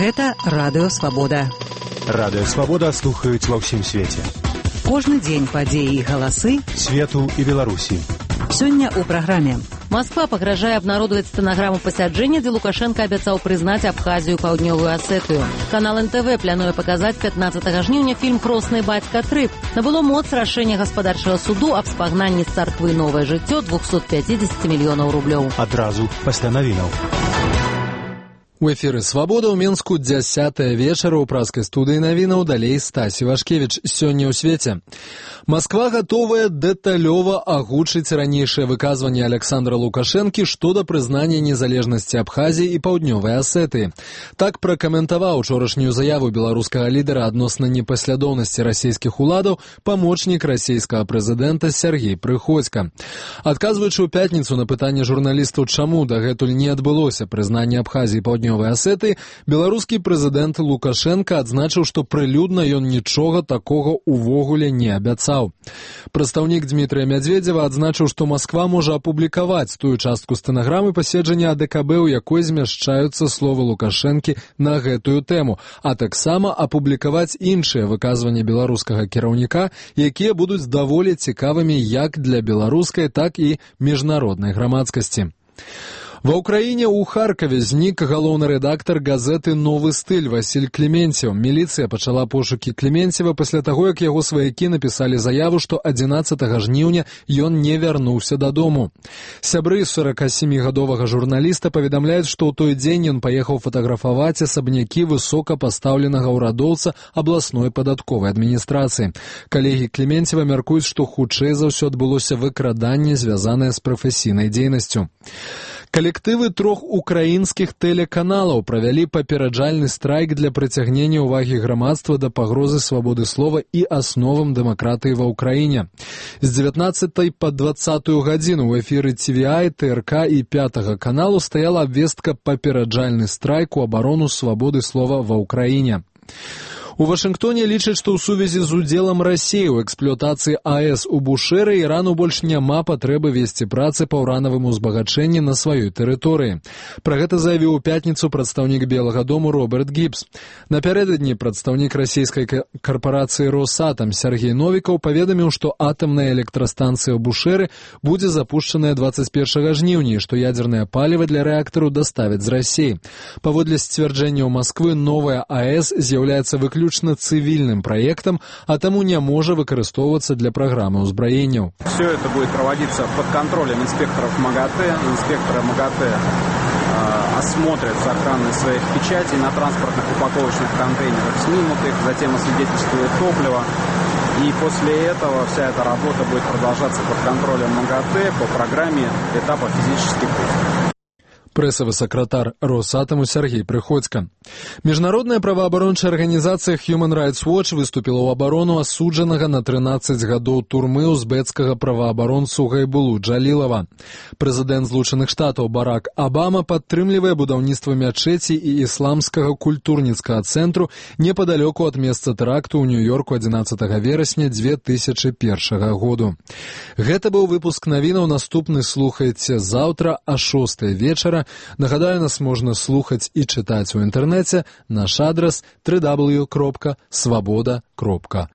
Гэта Радыё Свабода. Радыё Свабода слухаюць ва ўсім свеце. Кожны дзень падзеі і галасы свету і Беларусі. Сёння ў праграме. Москва пагражае абнародаваць стэнаграму пасяджэння, дзе Лукашенко абяцаў прызнаць Абхазію і Паўднёвую Асетыю. Канал НТВ плануе паказаць 15 жніўня фільм «Кросны бацька 3». Набыло моц рашэнне гаспадарчага суду аб спагнанні з царквы «Новае жыццё» 250 мільёнаў рублёў. Адразу пасля навінаў. У эфіры «Свабода» ў Менску 10 вечара ў праскай студыі навінаў, далей Стасі Вашкевіч. Сёння ў свеце. Москва гатовая дэталёва агучыць ранейшае выказванне Александра Лукашэнкі што да прызнання незалежнасці Абхазіі і Паўднёвай Асетыі. Так пракаментаваў учорашнюю заяву беларускага лідара адносна непаслядоўнасці расійскіх уладаў памочнік расійскага прэзідэнта Сергей Прыходзька. Адказваючы ў пятніцу на пытанне журналістаў, чаму дагэтуль не адбылося прызнанне Абхазіі і Паўднёвай Асетыі, беларускі прэзідэнт Лукашенко адзначыў, што прылюдна ён нічога такога ўвогуле не абяцаў. Прадстаўнік Дмітрыя Мядзведзева адзначыў, што Москва можа апублікаваць тую частку стэнаграмы паседжання АДКБ, у якой змяшчаюцца словы Лукашэнкі на гэтую тэму, а таксама апублікаваць іншыя выказванні беларускага кіраўніка, якія будуць даволі цікавымі як для беларускай, так і міжнароднай грамадскасці. Ва ўкраіне ў Харкаве знік галоўны рэдактар газеты «Новы стыль» Васіль Клементьев. Міліцыя пачала пошукі Клементьева пасля таго, як яго сваякі напісалі заяву, што 11 жніўня ён не вярнуўся дадому. Сябры 47-гадовага журналіста паведамляюць, што ў той дзень ён паехаў фатаграфаваць асабнякі высокапастаўленага ўрадоўца абласной падатковай адміністрацыі. Калегі Клементьева мяркуюць, што хутчэй за ўсё адбылося выкраданне, звязанае з прафесійнай дзейнасцю. Калектывы 3 украінскіх тэлеканалаў правялі папераджальны страйк для прыцягнення ўвагі грамадства да пагрозы свабоды слова і асновам дэмакратыі ва ўкраіне. З 19 па 20 гадзіну ў эфіры TVI, ТРК і 5 каналу стаяла абвестка «Папераджальны страйк у абарону свабоды слова ва ўкраіне». У Вашынгтоне лічаць, што ў сувязі з удзелам Расіі ў эксплуатацыі АЭС у Бушэры Ірану больш няма патрэбы весці працы па ўранавым узбагачэнні на сваёй тэрыторыі. Пра гэта заявіў у пятніцу прадстаўнік Белага дому Роберт Гібс. Напярэдадні прадстаўнік расійскай карпарацыі «Росатам» Сергей Новікаў паведаміў, што атамная электрастанцыя ў Бушэры будзе запушчаная 21 жніўня, што ядзернае паліва для рэактару даставяць з Расіі. Паводле сцвярджэнняў Масквы, новая АЭС з'яўляецца выключна цивильным проектом, а тому не может выкарыстоўвацца для программы узброенняў. Все это будет проводиться под контролем инспекторов МАГАТЭ. Инспекторы МАГАТЭ осмотрят сохранность своих печатей на транспортных упаковочных контейнерах, снимут их, затем освидетельствуют топливо. И после этого вся эта работа будет продолжаться под контролем МАГАТЭ по программе этапа физических тестов. Прэсавы сакратар Росатаму Сергей Прыходзька. Міжнародная праваабарончая арганізацыя Human Rights Watch выступіла ў абарону асуджанага на 13 гадоў турмы узбекскага праваабаронцу Гайбулу Джалілава. Прэзідэнт Злучаных Штатаў Барак Абама падтрымлівае будаўніцтва мячэці і ісламскага культурніцкага цэнтру непадалёку ад месца тэракту ў Нью-Йорку 11 верасня 2001 году. Гэта быў выпуск навінаў, наступны слухайце заўтра а 6 вечара. Нагадаю, нас можна слухаць і чытаць у інтэрнэце. Наш адрас www.swaboda.org.